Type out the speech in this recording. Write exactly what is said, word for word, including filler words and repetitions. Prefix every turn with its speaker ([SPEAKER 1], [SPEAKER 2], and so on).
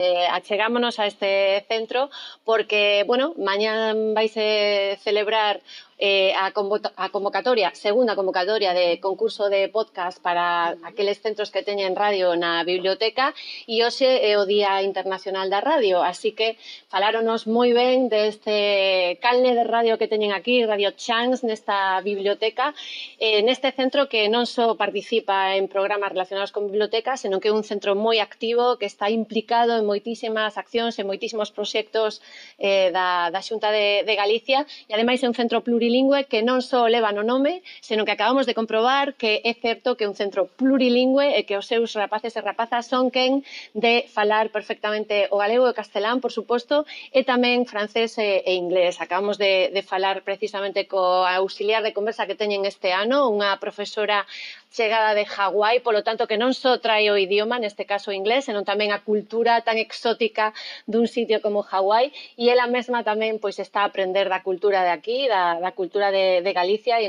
[SPEAKER 1] Eh, achegámonos a este centro porque, bueno, mañá vaise celebrar eh, a, a convocatoria, segunda convocatoria de concurso de podcast para aqueles centros que teñen radio na biblioteca e hoxe é o Día Internacional da Radio, así que faláronos moi ben deste calne de radio que teñen aquí, Radio Chans, nesta biblioteca, eh, neste centro que non só participa en programas relacionados con bibliotecas, senón que é un centro moi activo, que está implicado en moitísimas accións, en moitísimos proxectos eh, da, da Xunta de, de Galicia, e ademais é un centro plurilingüe que non só leva no nome, senón que acabamos de comprobar que é certo que é un centro plurilingüe e que os seus rapaces e rapazas son quen de falar perfectamente o galego e o castelán, por suposto, e tamén francés e, e inglés. Acabamos de, de falar precisamente co auxiliar de conversa que teñen este ano, unha profesora chegada de Hawái, polo tanto que non só trae o idioma, neste caso o inglés, senón tamén a cultura tan exótica dun sitio como Hawái, e ela mesma tamén pois está a aprender da cultura de aquí, da, da cultura de, de Galicia, e